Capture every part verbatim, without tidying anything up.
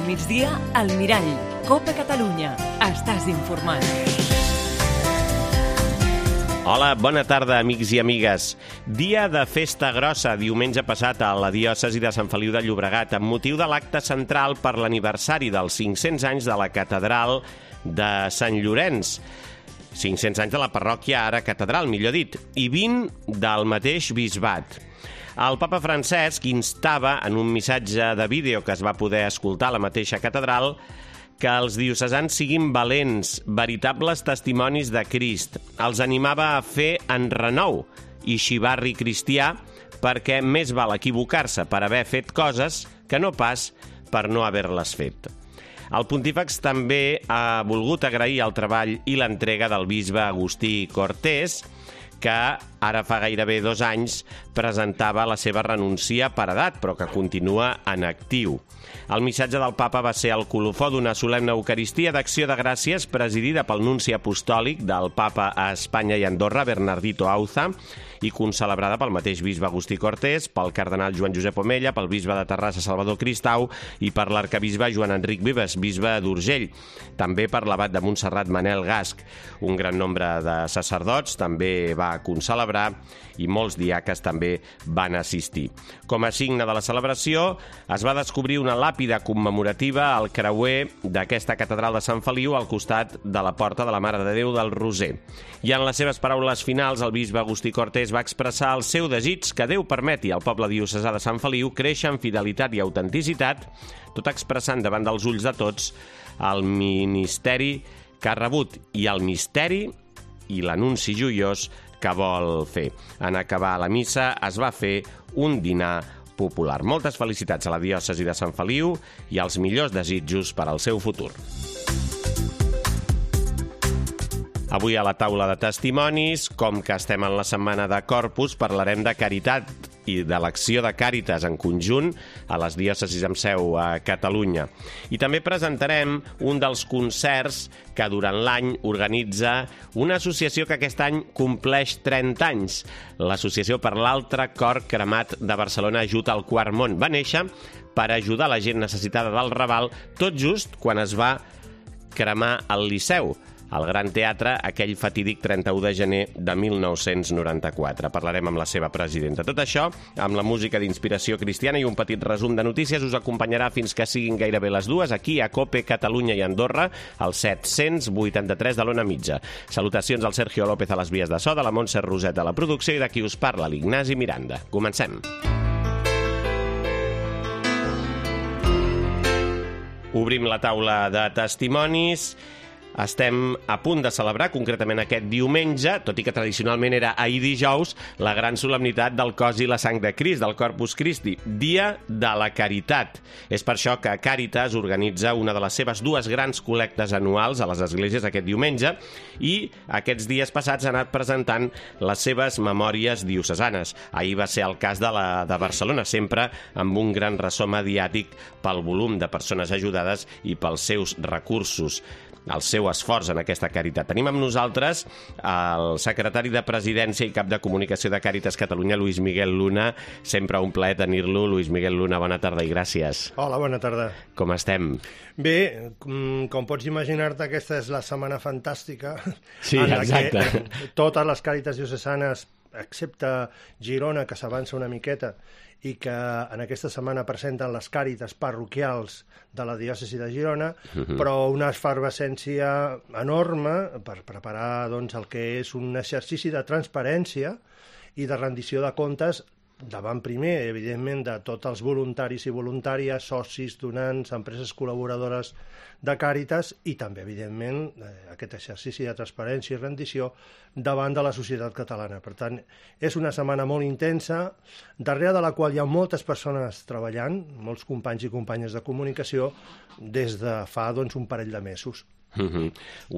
Al migdia, al Mirall. Copa Catalunya. Estàs informat. Hola, bona tarda, amics i amigues. Dia de festa grossa, diumenge passat a la diòcesi de Sant Feliu de Llobregat, amb motiu de l'acte central per l'aniversari dels cinc-cents anys de la catedral de Sant Llorenç. cinc-cents anys de la parròquia, ara catedral, millor dit, i vint del mateix bisbat. El papa Francesc instava, en un missatge de vídeo que es va poder escoltar a la mateixa catedral, que els diocesans siguin valents, veritables testimonis de Crist. Els animava a fer enrenou i xivarri cristià perquè més val equivocar-se per haver fet coses que no pas per no haver-les fet. El pontífex també ha volgut agrair el treball i l'entrega del bisbe Agustí Cortés, que ara fa gairebé dos anys presentava la seva renúncia per edat, però que continua en actiu. El missatge del papa va ser el colofó d'una solemne eucaristia d'acció de gràcies presidida pel nunci apostòlic del papa a Espanya i Andorra, Bernardito Auza, i concelebrada pel mateix bisbe Agustí Cortés, pel cardenal Joan Josep Omella, pel bisbe de Terrassa Salvador Cristau i per l'arcabisbe Joan Enric Vives, bisbe d'Urgell. També per l'abat de Montserrat Manel Gasc. Un gran nombre de sacerdots també va concelebrar i molts diaques també van assistir. Com a signe de la celebració, es va descobrir una làpida commemorativa al creuer d'aquesta catedral de Sant Feliu al costat de la porta de la Mare de Déu del Roser. I en les seves paraules finals, el bisbe Agustí Cortés va expressar el seu desig que Déu permeti al poble diocesà de Sant Feliu créixer en fidelitat i autenticitat, tot expressant davant dels ulls de tots el ministeri que ha rebut i el misteri i l'anunci joiós que vol fer. En acabar la missa es va fer un dinar popular. Moltes felicitats a la diòcesi de Sant Feliu i els millors desitjos per al seu futur. Avui a la taula de testimonis, com que estem en la setmana de Corpus, parlarem de caritat i de l'acció de Càritas en conjunt a les diòcesis amb seu a Catalunya. I també presentarem un dels concerts que durant l'any organitza una associació que aquest any compleix trenta anys. L'Associació per l'Altre Cor Cremat de Barcelona Ajut al Quart Món. Va néixer per ajudar la gent necessitada del Raval tot just quan es va cremar el Liceu, al Gran Teatre, aquell fatídic trenta-u de gener de mil nou-cents noranta-quatre. Parlarem amb la seva presidenta. Tot això, amb la música d'inspiració cristiana i un petit resum de notícies, us acompanyarà fins que siguin gairebé les dues, aquí a Cope, Catalunya i Andorra, al set-cents vuitanta-tres de l'Ona Mitja. Salutacions al Sergio López a les vies de so, de la Montse Roset a la producció i de qui us parla, l'Ignasi Miranda. Comencem. Obrim la taula de testimonis. Estem a punt de celebrar, concretament aquest diumenge, tot i que tradicionalment era ahir dijous, la gran solemnitat del cos i la sang de Crist, del Corpus Christi, Dia de la Caritat. És per això que Càritas organitza una de les seves dues grans col·lectes anuals a les esglésies aquest diumenge i aquests dies passats ha anat presentant les seves memòries diocesanes. Ahir va ser el cas de la de Barcelona, sempre amb un gran ressò mediàtic pel volum de persones ajudades i pels seus recursos, el seu esforç en aquesta caritat. Tenim amb nosaltres el secretari de Presidència i cap de comunicació de Càritas Catalunya, Luis Miguel Luna. Sempre un plaer tenir-lo. Luis Miguel Luna, bona tarda i gràcies. Hola, bona tarda. Com estem? Bé, com pots imaginar-te, aquesta és la setmana fantàstica. Sí, en la exacte. Que totes les Càritas diocesanes, excepte Girona, que s'avança una miqueta, i que en aquesta setmana presenten les càritas parroquials de la diòcesi de Girona, uh-huh. però una efervescència enorme per preparar doncs, el que és un exercici de transparència i de rendició de comptes davant primer, evidentment, de tots els voluntaris i voluntàries, socis, donants, empreses col·laboradores de Càritas i també, evidentment, aquest exercici de transparència i rendició davant de la societat catalana. Per tant, és una setmana molt intensa, darrere de la qual hi ha moltes persones treballant, molts companys i companyes de comunicació, des de fa doncs, un parell de mesos. Uh-huh.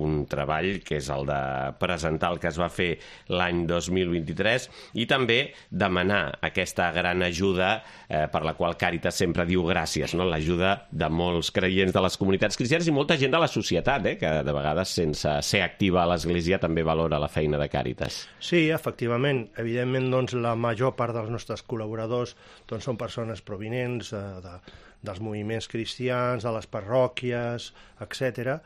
Un treball que és el de presentar el que es va fer l'any dos mil vint-i-tres i també demanar aquesta gran ajuda eh, per la qual Càritas sempre diu gràcies, no? L'ajuda de molts creients de les comunitats cristianes i molta gent de la societat, eh, que de vegades sense ser activa a l'Església també valora la feina de Càritas. Sí, efectivament. Evidentment, doncs, la major part dels nostres col·laboradors doncs, són persones provinents de, de, dels moviments cristians, de les parròquies, etcètera.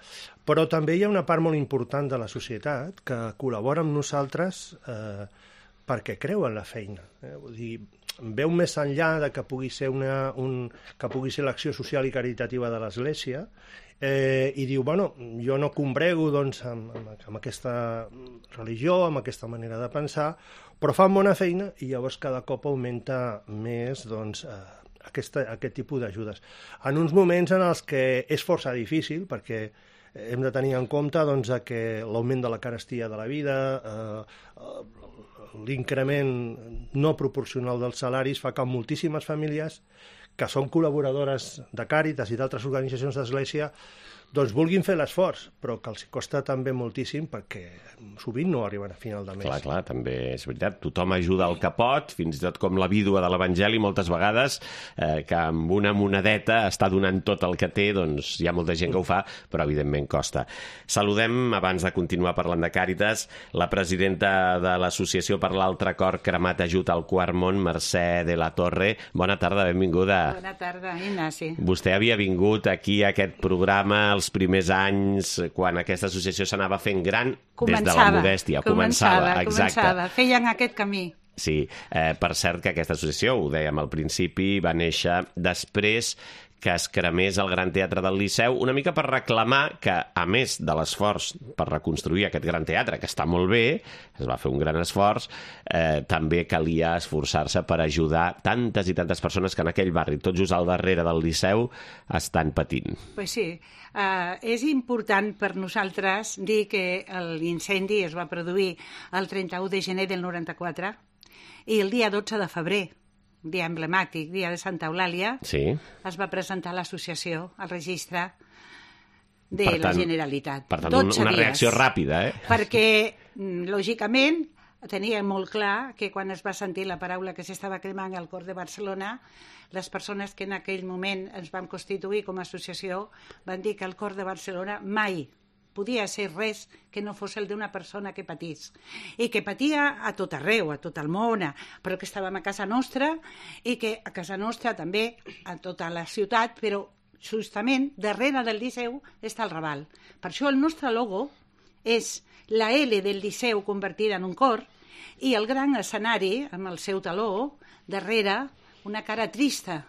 Però també hi ha una part molt important de la societat que col·labora amb nosaltres eh, perquè creu en la feina. Eh? Vull dir, veu més enllà de que pugui ser una, un, que pugui ser l'acció social i caritativa de l'Església eh, i diu, bueno, jo no combrego doncs, amb, amb, amb aquesta religió, amb aquesta manera de pensar, però fan bona feina i llavors cada cop augmenta més doncs, eh, aquesta, aquest tipus d'ajudes. En uns moments en els que és força difícil, perquè hem de tenir en compte doncs, que l'augment de la carestia de la vida, eh, l'increment no proporcional dels salaris fa que moltíssimes famílies que són col·laboradores de Càritas i d'altres organitzacions d'Església doncs vulguin fer l'esforç, però que els costa també moltíssim perquè sovint no arriben a final de mes. Clar, clar, també és veritat. Tothom ajuda el que pot, fins i tot com la vídua de l'Evangeli moltes vegades, eh, que amb una monedeta està donant tot el que té, doncs hi ha molta gent que ho fa, però evidentment costa. Saludem, abans de continuar parlant de Càritas, la presidenta de l'Associació per l'Altre Cor Cremat Ajut al Quart Món, Mercè de la Torre. Bona tarda, benvinguda. Bona tarda, Ignasi. Vostè havia vingut aquí a aquest programa els primers anys, quan aquesta associació s'anava fent gran, començava, des de la modèstia. Començava, començava, exacte. començava. Feien aquest camí. Sí, eh, per cert que aquesta associació, ho dèiem al principi, va néixer després que es cremés el Gran Teatre del Liceu, una mica per reclamar que, a més de l'esforç per reconstruir aquest Gran Teatre, que està molt bé, es va fer un gran esforç, eh, també calia esforçar-se per ajudar tantes i tantes persones que en aquell barri, tot just al darrere del Liceu, estan patint. Pues sí, uh, és important per nosaltres dir que l'incendi es va produir el trenta-u de gener del noranta-quatre i el dia dotze de febrer, dia emblemàtic, dia de Santa Eulàlia, sí, es va presentar l'associació al registre de per tant, la Generalitat. Per tant, una, una reacció ràpida, eh? Perquè, lògicament, tenia molt clar que quan es va sentir la paraula que s'estava cremant al cor de Barcelona, les persones que en aquell moment ens vam constituir com a associació van dir que el cor de Barcelona mai podia ser res que no fos el d'una persona que patís. I que patia a tot arreu, a tot el món, però que estàvem a casa nostra i que a casa nostra també a tota la ciutat, però justament darrere del Liceu està el Raval. Per això el nostre logo és la L del Liceu convertida en un cor i el gran escenari, amb el seu taló, darrere una cara trista,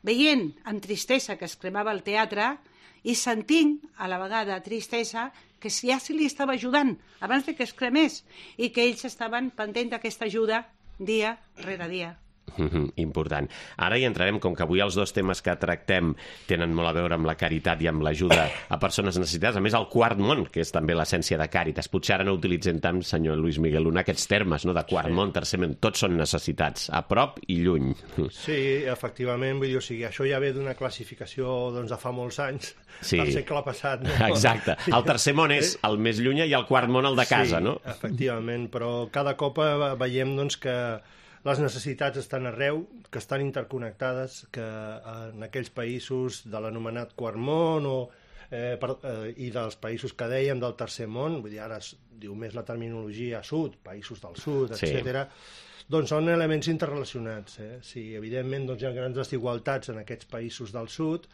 veient amb tristesa que es cremava el teatre i sentint a la vegada tristesa que ja se li estava ajudant abans de que es cremés i que ells estaven pendents d'aquesta ajuda dia rere dia. Important. Ara hi entrarem, com que avui els dos temes que tractem tenen molt a veure amb la caritat i amb l'ajuda a persones necessitades, a més el quart món, que és també l'essència de Càritas. Potser ara no utilitzem tant, senyor Luis Miguel Luna, aquests termes, no?, de quart sí. món, tercer món, tots són necessitats, a prop i lluny. Sí, efectivament, vull dir, o sigui, això ja ve d'una classificació doncs, de fa molts anys, sí. del segle passat. No? Exacte. El tercer món és el més lluny i el quart món el de casa, sí, no? Sí, efectivament, però cada cop veiem doncs, que les necessitats estan arreu, que estan interconnectades, que en aquells països de l'anomenat quart món o, eh, per, eh, i dels països que dèiem del tercer món, vull dir, ara es diu més la terminologia sud, països del sud, etcètera, sí. doncs són elements interrelacionats. Eh? Si evidentment doncs, hi ha grans desigualtats en aquests països del sud,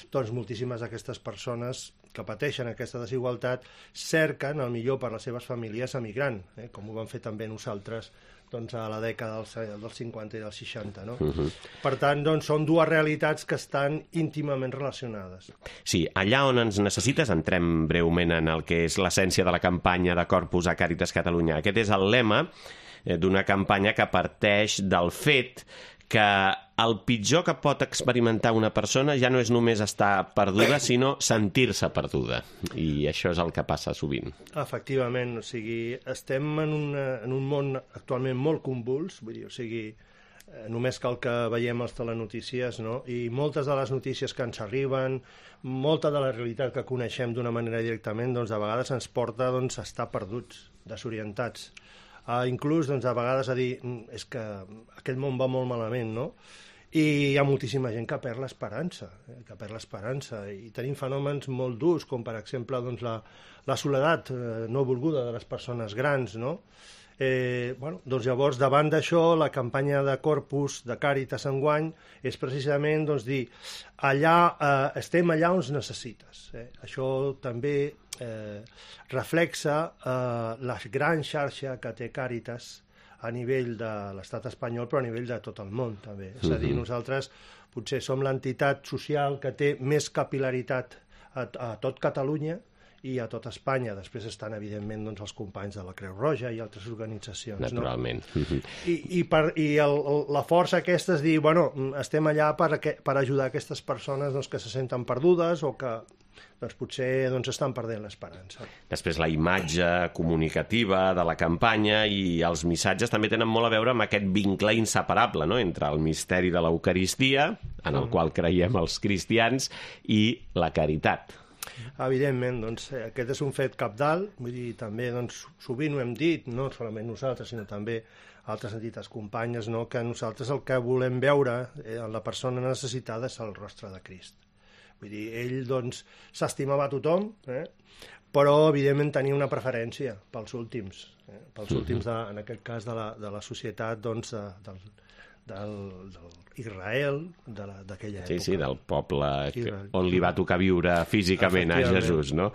doncs moltíssimes d'aquestes persones que pateixen aquesta desigualtat cerquen el millor per a les seves famílies emigrant, eh? com ho vam fer també nosaltres doncs, a la dècada dels, dels cinquanta i dels seixanta. No? Uh -huh. Per tant, doncs, són dues realitats que estan íntimament relacionades. Sí, allà on ens necessites, entrem breument en el que és l'essència de la campanya de Corpus a Càritas Catalunya. Aquest és el lema d'una campanya que parteix del fet que el pitjor que pot experimentar una persona ja no és només estar perduda, sinó sentir-se perduda. I això és el que passa sovint. Efectivament, o sigui, estem en, una, en un món actualment molt convuls, vull dir, o sigui, només cal que veiem les telenotícies, no? I moltes de les notícies que ens arriben, molta de la realitat que coneixem d'una manera directament, doncs de vegades ens porta doncs, a estar perduts, desorientats. Uh, inclús doncs, a vegades a dir és que aquest món va molt malament, no? I hi ha moltíssima gent que perd l'esperança, eh? que perd l'esperança. I tenim fenòmens molt durs, com per exemple doncs, la, la soledat eh, no volguda de les persones grans, no? Eh, bueno, doncs llavors, davant d'això, la campanya de Corpus, de Càritas enguany, és precisament doncs, dir allà, eh, estem allà on ens necessites. Eh? Això també eh, reflexa eh, la gran xarxa que té Càritas a nivell de l'estat espanyol, però a nivell de tot el món, també. És a dir, nosaltres potser som l'entitat social que té més capil·laritat a, a tot Catalunya i a tot Espanya. Després estan, evidentment, doncs, els companys de la Creu Roja i altres organitzacions. Naturalment. No? I, i, per, i el, el, la força aquesta és dir, bueno, estem allà per, per ajudar aquestes persones doncs, que se senten perdudes o que doncs, potser doncs, estan perdent l'esperança. Després la imatge comunicativa de la campanya i els missatges també tenen molt a veure amb aquest vincle inseparable, no?, entre el misteri de l'Eucaristia, en el mm. qual creiem els cristians, i la caritat. Evidentment, doncs, aquest és un fet cabdal, vull dir, també doncs, sovint ho hem dit, no solament nosaltres, sinó també altres entitats companyes, no? Que nosaltres el que volem veure eh, en la persona necessitada és el rostre de Crist. Vull dir, ell doncs, s'estimava a tothom, eh? Però evidentment tenia una preferència pels últims, eh? pels mm-hmm. últims, de, en aquest cas, de la, de la societat doncs, de, del, del, del Israel d'aquella època. Sí, sí, del poble que, on li va tocar viure físicament a Jesús, no?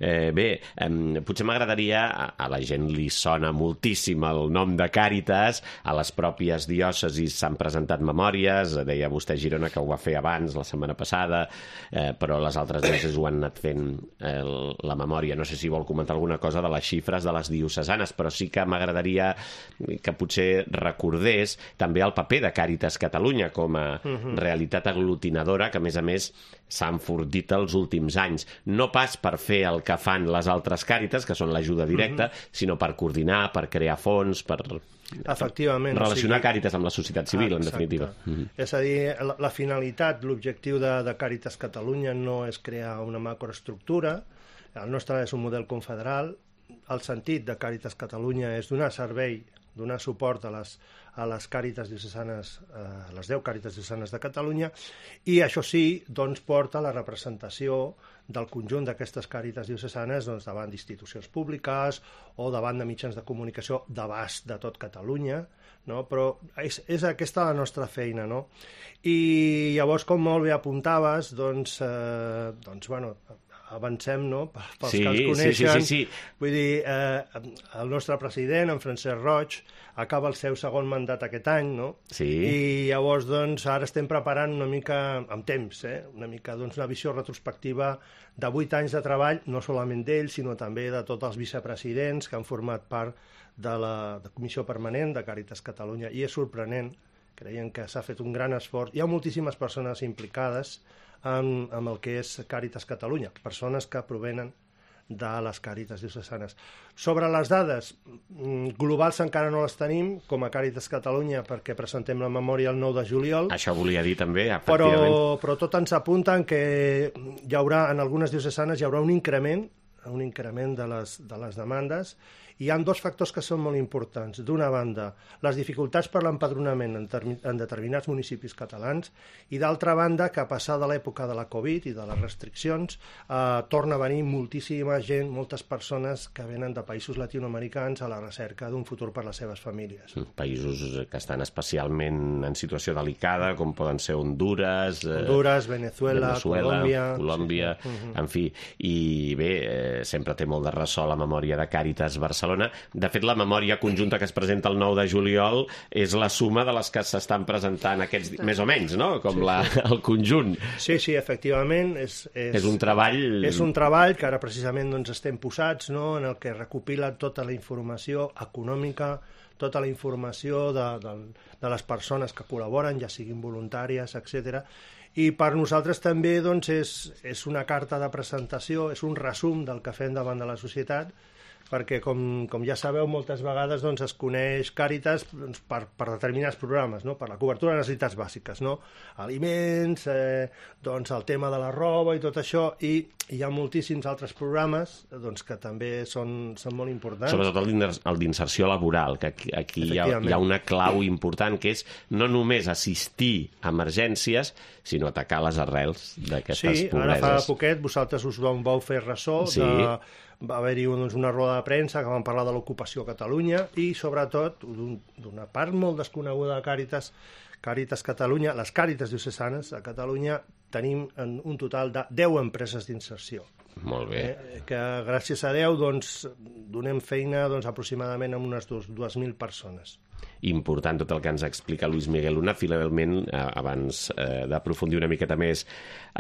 Eh, bé, eh, potser m'agradaria, a, a la gent li sona moltíssim el nom de Càritas, a les pròpies diòcesis s'han presentat memòries, deia vostè Girona que ho va fer abans, la setmana passada, eh, però les altres diòcesis ho han anat fent eh, la memòria. No sé si vol comentar alguna cosa de les xifres de les diocesanes, però sí que m'agradaria que potser recordés també el paper de Càritas Catalunya com a uh-huh. realitat aglutinadora que, a més a més, s'ha enfortit els últims anys. No pas per fer el que fan les altres Càritas, que són l'ajuda directa, uh-huh. sinó per coordinar, per crear fons, per... Efectivament. Relacionar o sigui... Càritas amb la societat civil, ah, en definitiva. Uh-huh. És a dir, la, la finalitat, l'objectiu de, de Càritas Catalunya no és crear una macroestructura, el nostre és un model confederal, el sentit de Càritas Catalunya és donar servei, donar suport a les, a les Càritas diocesanes, a les deu Càritas diocesanes de Catalunya, i això sí, doncs, porta la representació del conjunt d'aquestes Càritas diocesanes doncs, davant d'institucions públiques o davant de mitjans de comunicació d'abast de tot Catalunya, no? Però és, és aquesta la nostra feina, no? I llavors, com molt bé apuntaves, doncs, eh, doncs bueno, avancem, no?, pels sí, que els coneixen. Sí, sí, sí, sí. Vull dir, eh, el nostre president, en Francesc Roig, acaba el seu segon mandat aquest any, no? Sí. I llavors, doncs, ara estem preparant una mica, amb temps, eh? una mica, doncs, una visió retrospectiva de vuit anys de treball, no solament d'ell, sinó també de tots els vicepresidents que han format part de la de Comissió Permanent de Càritas Catalunya, i és sorprenent, creiem que s'ha fet un gran esforç. Hi ha moltíssimes persones implicades amb, amb el que és Càritas Catalunya, persones que provenen de les Càritas diocesanes. Sobre les dades, globals encara no les tenim, com a Càritas Catalunya, perquè presentem la memòria el nou de juliol. Això volia dir també, efectivament. Però, però tot ens apunta que hi haurà, en algunes diocesanes hi haurà un increment, un increment de les, de les demandes. Hi ha dos factors que són molt importants. D'una banda, les dificultats per l'empadronament en, en determinats municipis catalans, i d'altra banda, que a passar de l'època de la Covid i de les restriccions, eh, torna a venir moltíssima gent, moltes persones que venen de països latinoamericans a la recerca d'un futur per les seves famílies. Països que estan especialment en situació delicada, com poden ser Honduras, Honduras, Venezuela, Venezuela Colòmbia... Colòmbia, sí, sí. En fi. I bé, eh, sempre té molt de ressò la memòria de Càritas Barcelona. De fet, la memòria conjunta que es presenta el nou de juliol és la suma de les que s'estan presentant aquests... més o menys, no? Com sí, la, sí. el conjunt. Sí, sí, efectivament. És, és, és un treball... És un treball que ara precisament doncs, estem posats, no?, en el que recopila tota la informació econòmica, tota la informació de, de, de les persones que col·laboren, ja siguin voluntàries, etcètera. I per nosaltres també doncs, és, és una carta de presentació, és un resum del que fem davant de la societat, perquè, com, com ja sabeu, moltes vegades doncs, es coneix Càritas doncs, per, per determinats programes, no? Per la cobertura de necessitats bàsiques, no? Aliments, eh, doncs, el tema de la roba i tot això, i hi ha moltíssims altres programes doncs, que també són, són molt importants. Sobretot el d'inserció laboral, que aquí, aquí hi, ha, hi ha una clau important, que és no només assistir a emergències, sinó atacar les arrels d'aquestes sí, pobreses. Sí, ara fa poquet vosaltres us vau fer ressò sí. de... Va haver-hi doncs, una roda de premsa que van parlar de l'ocupació a Catalunya i, sobretot, d'una part molt desconeguda de Càritas, Càritas Catalunya, les Càritas diocesanes a Catalunya, tenim un total de deu empreses d'inserció. Molt bé. Eh, que, gràcies a Déu, doncs, donem feina doncs, aproximadament a unes dues mil persones. Important tot el que ens explica Luis Miguel Luna. Finalment, abans eh, d'aprofundir una miqueta més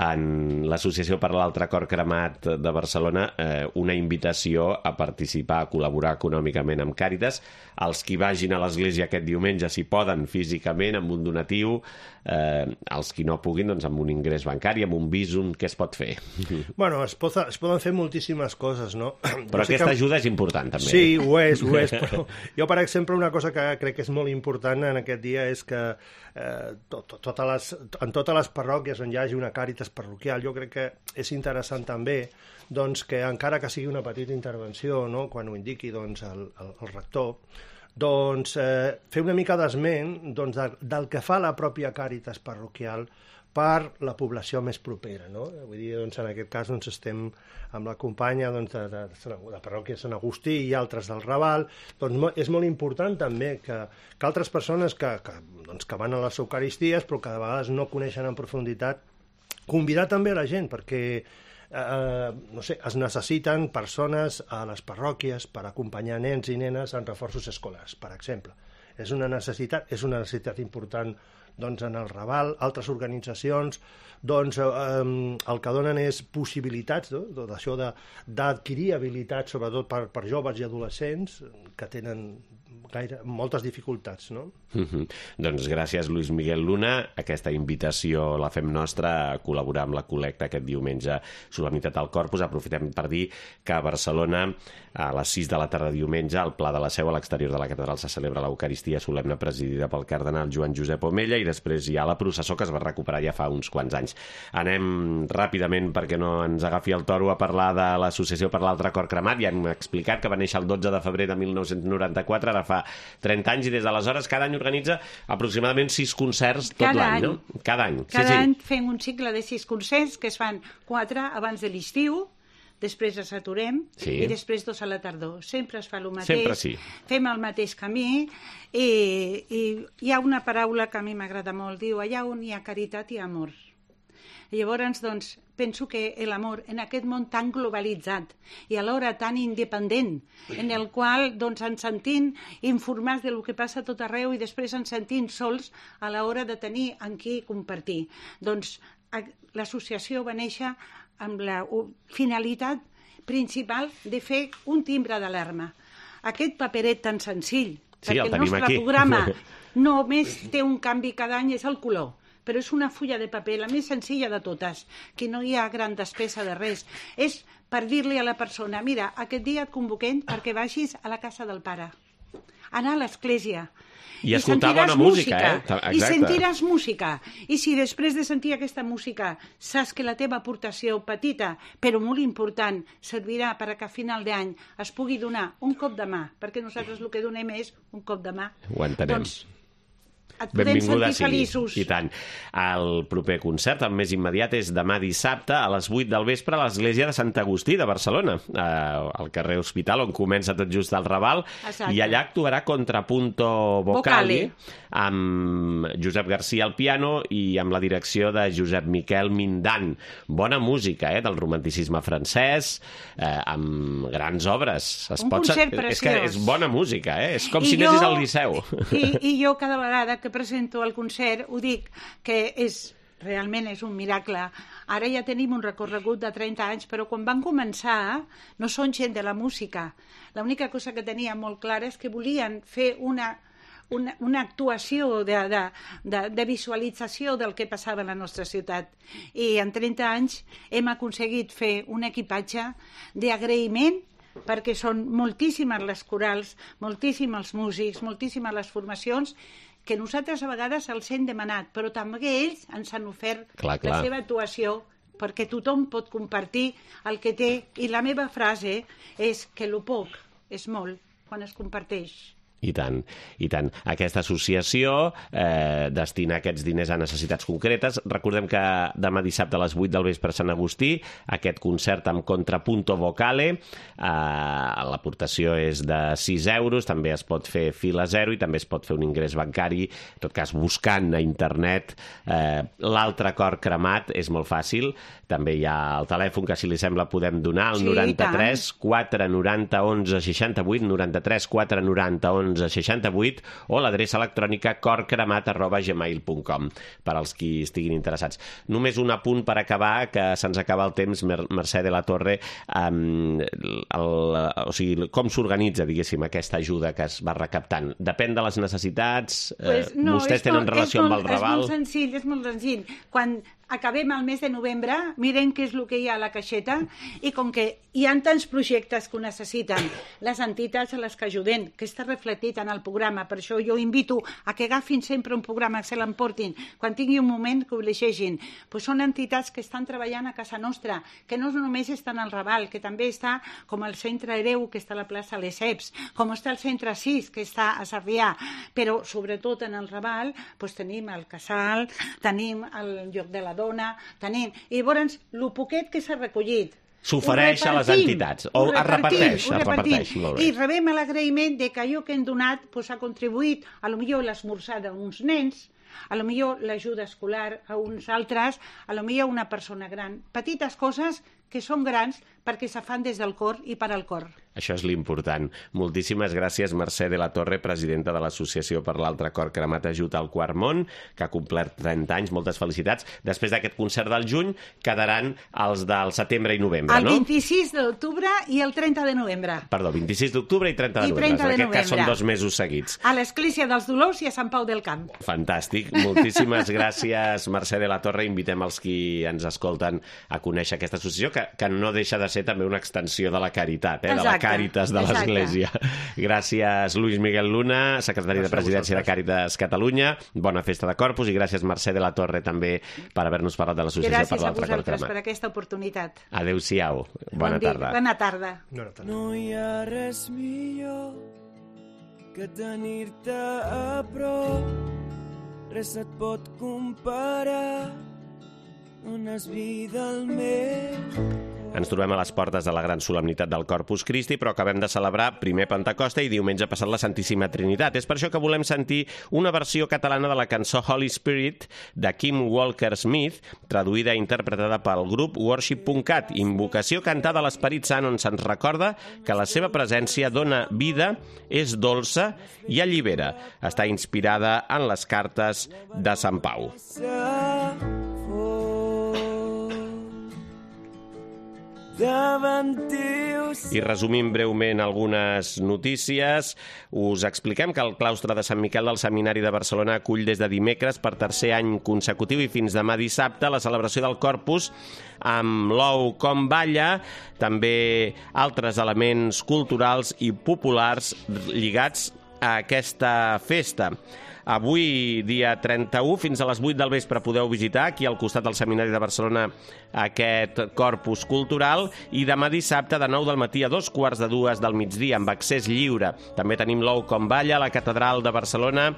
en l'Associació per l'Altre Cor Cremat de Barcelona, eh, una invitació a participar, a col·laborar econòmicament amb Càritas. Els qui vagin a l'església aquest diumenge, si poden, físicament, amb un donatiu, eh, els qui no puguin, doncs amb un ingrés bancari, amb un Bizum, què es pot fer? Bueno, es, pot, es poden fer moltíssimes coses, no? Però no sé aquesta que... ajuda és important, també. Sí, ho és, ho és, però jo, per exemple, una cosa que crec que és molt important en aquest dia és que eh, tot, tot, totes les, en totes les parròquies on hi hagi una Càritas parroquial, jo crec que és interessant també doncs, que encara que sigui una petita intervenció, no, quan ho indiqui doncs, el, el, el rector, doncs, eh, fer una mica d'esment doncs, de, del que fa la pròpia Càritas parroquial per la població més propera, no? Vull dir, doncs, en aquest cas doncs, estem amb la companya doncs, de, de, de la parròquia de Sant Agustí i altres del Raval. Doncs és molt important també que, que altres persones que, que, doncs, que van a les Eucaristies però que de vegades no coneixen en profunditat, convidar també a la gent, perquè eh, no sé, es necessiten persones a les parròquies per acompanyar nens i nenes en reforços escolars, per exemple. És una necessitat, és una necessitat important doncs, en el Raval, altres organitzacions doncs, eh, el que donen és possibilitats, no? D'això d'adquirir habilitats, sobretot per, per joves i adolescents que tenen gaire, moltes dificultats, no? Mm-hmm. Doncs gràcies, Luis Miguel Luna. Aquesta invitació la fem nostra a col·laborar amb la col·lecta aquest diumenge, Solemnitat al Corpus. Aprofitem per dir que a Barcelona, a les sis de la tarda diumenge, al Pla de la Seu, a l'exterior de la catedral, se celebra l'Eucaristia solemne presidida pel cardenal Joan Josep Omella, i després hi ha la processó que es va recuperar ja fa uns quants anys. Anem ràpidament, perquè no ens agafi el toro, a parlar de l'Associació per l'Altre Cor Cremat. Ja hem explicat que va néixer el dotze de febrer de mil nou-cents noranta-quatre, ara fa trenta anys, i des d'aleshores cada any organitza aproximadament sis concerts tot cada l'any, any. no? Cada any. Cada sí, sí. any fem un cicle de sis concerts que es fan quatre abans de l'estiu, després ens aturem sí. i després dos a la tardor. Sempre es fa el mateix, Sempre sí. Fem el mateix camí i, i hi ha una paraula que a mi m'agrada molt, diu, allà on hi ha caritat hi ha amor. I llavors, doncs, penso que l'amor en aquest món tan globalitzat i alhora tan independent, en el qual doncs, ens sentim informats del que passa a tot arreu i després ens sentim sols a l'hora de tenir amb qui compartir. Doncs l'associació va néixer amb la finalitat principal de fer un timbre d'alarma. Aquest paperet tan senzill, sí, perquè el el nostre aquí. programa només té un canvi cada any, és el color, però és una fulla de paper, la més senzilla de totes, que no hi ha gran despesa de res. És per dir-li a la persona, mira, aquest dia et convoquem perquè vagis a la casa del pare, anar a l'església, I escoltar bona música, eh? Exacte. I sentiràs música. I si després de sentir aquesta música saps que la teva aportació petita, però molt important, servirà perquè a final d'any es pugui donar un cop de mà, perquè nosaltres el que donem és un cop de mà. Ho entenem. Doncs et podem sentir feliços. I tant. El proper concert, el més immediat, és demà dissabte a les vuit del vespre a l'església de Sant Agustí de Barcelona, eh, al carrer Hospital, on comença tot just el Raval. Exacte. I allà actuarà Contrapunto Vocali, amb Josep García al piano i amb la direcció de Josep Miquel Mindan. Bona música, eh, del romanticisme francès, eh, amb grans obres. Es un pot... concert preciós. És que és bona música, eh? És com I si jo... anessis al Liceu. I, I jo cada vegada que presento el concert ho dic que és, realment és un miracle. Ara ja tenim un recorregut de trenta anys, però quan van començar no són gent de la música. L'única cosa que tenia molt clara és que volien fer una, una, una actuació de, de, de, de visualització del que passava a la nostra ciutat. I en trenta anys hem aconseguit fer un equipatge d'agraïment perquè són moltíssimes les corals, moltíssims els músics, moltíssimes les formacions, que nosaltres a vegades els hem demanat, però també ells ens han ofert clar, clar. la seva actuació, perquè tothom pot compartir el que té, i la meva frase és que lo poc és molt quan es comparteix. I tant, i tant. Aquesta associació eh, destina aquests diners a necessitats concretes. Recordem que demà dissabte a les vuit del vespre a Sant Agustí, aquest concert amb Contrapunto Vocale, eh, l'aportació és de sis euros, també es pot fer fila zero i també es pot fer un ingrés bancari, en tot cas buscant a internet eh, l'altre cor cremat, és molt fàcil. També hi ha el telèfon que, si li sembla, podem donar, el sí, noranta-tres quatre noranta onze seixanta-vuit, noranta-tres quatre noranta onze seixanta-vuit, o l'adreça electrònica corcremat arroba gmail punt com, per als qui estiguin interessats. Només un apunt per acabar, que se'ns acaba el temps, Mercè de la Torre, um, el, o sigui, com s'organitza, diguéssim, aquesta ajuda que es va recaptant? Depèn de les necessitats? Pues no, vostès tenen molt, relació molt, amb el Raval? És molt senzill, és molt senzill. Quan acabem el mes de novembre, miren què és el que hi ha a la caixeta, i com que hi ha tants projectes que ho necessiten, les entitats a les que ajuden, que està reflectit en el programa, per això jo invito a que agafin sempre un programa, que se l'emportin, quan tingui un moment que ho llegeixin. Pues són entitats que estan treballant a casa nostra, que no només estan al Raval, que també està com el Centre Hereu, que està a la plaça Lesseps, com està el Centre sis, que està a Sarrià, però sobretot en el Raval pues, tenim el Casal, tenim el Lloc de la Dona, tenim... I llavors, el poquet que s'ha recollit, s'ofereix a les entitats, o es reparteix, es reparteix. I rebem l'agraïment de que allò que hem donat pues, ha contribuït, a lo millor l'esmorzar d'uns nens, a lo millor l'ajuda escolar a uns altres, a lo millor una persona gran. Petites coses que són grans perquè se fan des del cor i per al cor. Això és l'important. Moltíssimes gràcies, Mercè de la Torre, presidenta de l'Associació per l'Altre Cor Cremat Ajut al Quart Món, que ha complert trenta anys. Moltes felicitats. Després d'aquest concert del juny, quedaran els del setembre i novembre, el no? El vint-i-sis d'octubre i el trenta de novembre. Perdó, vint-i-sis d'octubre i trenta de I novembre. trenta de en aquest novembre. cas són dos mesos seguits. A l'Església dels Dolors i a Sant Pau del Camp. Fantàstic. Moltíssimes gràcies, Mercè de la Torre. Invitem els qui ens escolten a conèixer aquesta associació, que, que no deixa de ser també una extensió de la caritat, eh? Exacte, de la Càritas de exacte. l'Església. Gràcies, Luis Miguel Luna, secretari gràcies de Presidència de Càritas Catalunya. Bona festa de Corpus i gràcies, Mercè de la Torre, també per haver-nos parlat de l'Associació per l'Altre Cor Cremat. Gràcies a vosaltres per aquesta oportunitat. Adéu-siau. Bona bon tarda. Bona tarda. Bona tarda. No hi ha res millor que tenir-te a prop, res et pot comparar, dones vida al meu. Ens trobem a les portes de la gran solemnitat del Corpus Christi, però acabem de celebrar primer Pentecosta i diumenge passat la Santíssima Trinitat. És per això que volem sentir una versió catalana de la cançó Holy Spirit de Kim Walker-Smith, traduïda i interpretada pel grup worship punt cat, invocació cantada a l'Esperit Sant, on se'ns recorda que la seva presència dona vida, és dolça i allibera. Està inspirada en les cartes de Sant Pau. I resumim breument algunes notícies. Us expliquem que el claustre de Sant Miquel del Seminari de Barcelona acull des de dimecres per tercer any consecutiu i fins demà dissabte la celebració del Corpus amb l'ou com balla, també altres elements culturals i populars lligats a aquesta festa. Avui, dia trenta-u, fins a les vuit del vespre podeu visitar aquí al costat del Seminari de Barcelona aquest corpus cultural i demà dissabte de nou del matí a dos quarts de dues del migdia amb accés lliure. També tenim l'ou com balla a la Catedral de Barcelona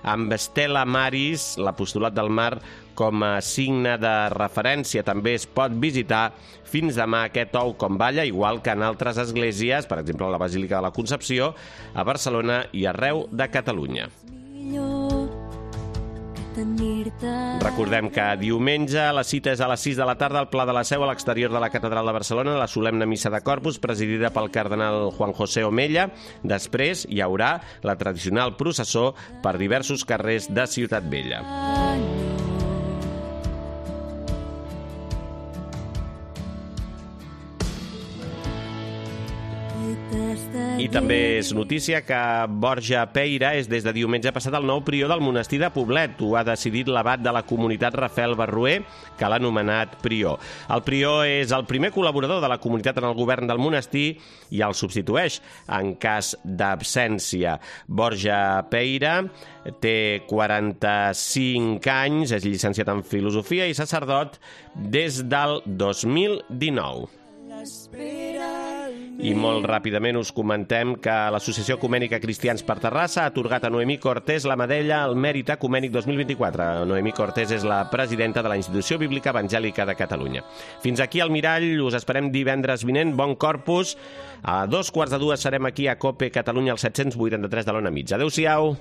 amb Stella Maris, l'apostolat del mar, com a signe de referència. També es pot visitar fins demà aquest ou com balla, igual que en altres esglésies, per exemple a la Basílica de la Concepció, a Barcelona i arreu de Catalunya. Recordem que diumenge la cita és a les sis de la tarda al Pla de la Seu a l'exterior de la Catedral de Barcelona, la solemne missa de Corpus presidida pel cardenal Juan José Omella. Després hi haurà la tradicional processó per diversos carrers de Ciutat Vella. I també és notícia que Borja Peira és des de diumenge passat el nou prior del monestir de Poblet. Ho ha decidit l'abat de la comunitat Rafael Barruer, que l'ha anomenat prior. El prior és el primer col·laborador de la comunitat en el govern del monestir i el substitueix en cas d'absència. Borja Peira té quaranta-cinc anys, és llicenciat en filosofia i sacerdot des del dos mil dinou. I molt ràpidament us comentem que l'Associació Ecumènica Cristians per Terrassa ha atorgat a Noemí Cortés la medalla al Mèrit Ecumènic dos mil vint-i-quatre. Noemí Cortés és la presidenta de la Institució Bíblica Evangèlica de Catalunya. Fins aquí al Mirall, us esperem divendres vinent. Bon Corpus. A dos quarts de dues serem aquí a COPE Catalunya al set cents vuitanta-tres de l'Ona Mitja. Adéu-siau.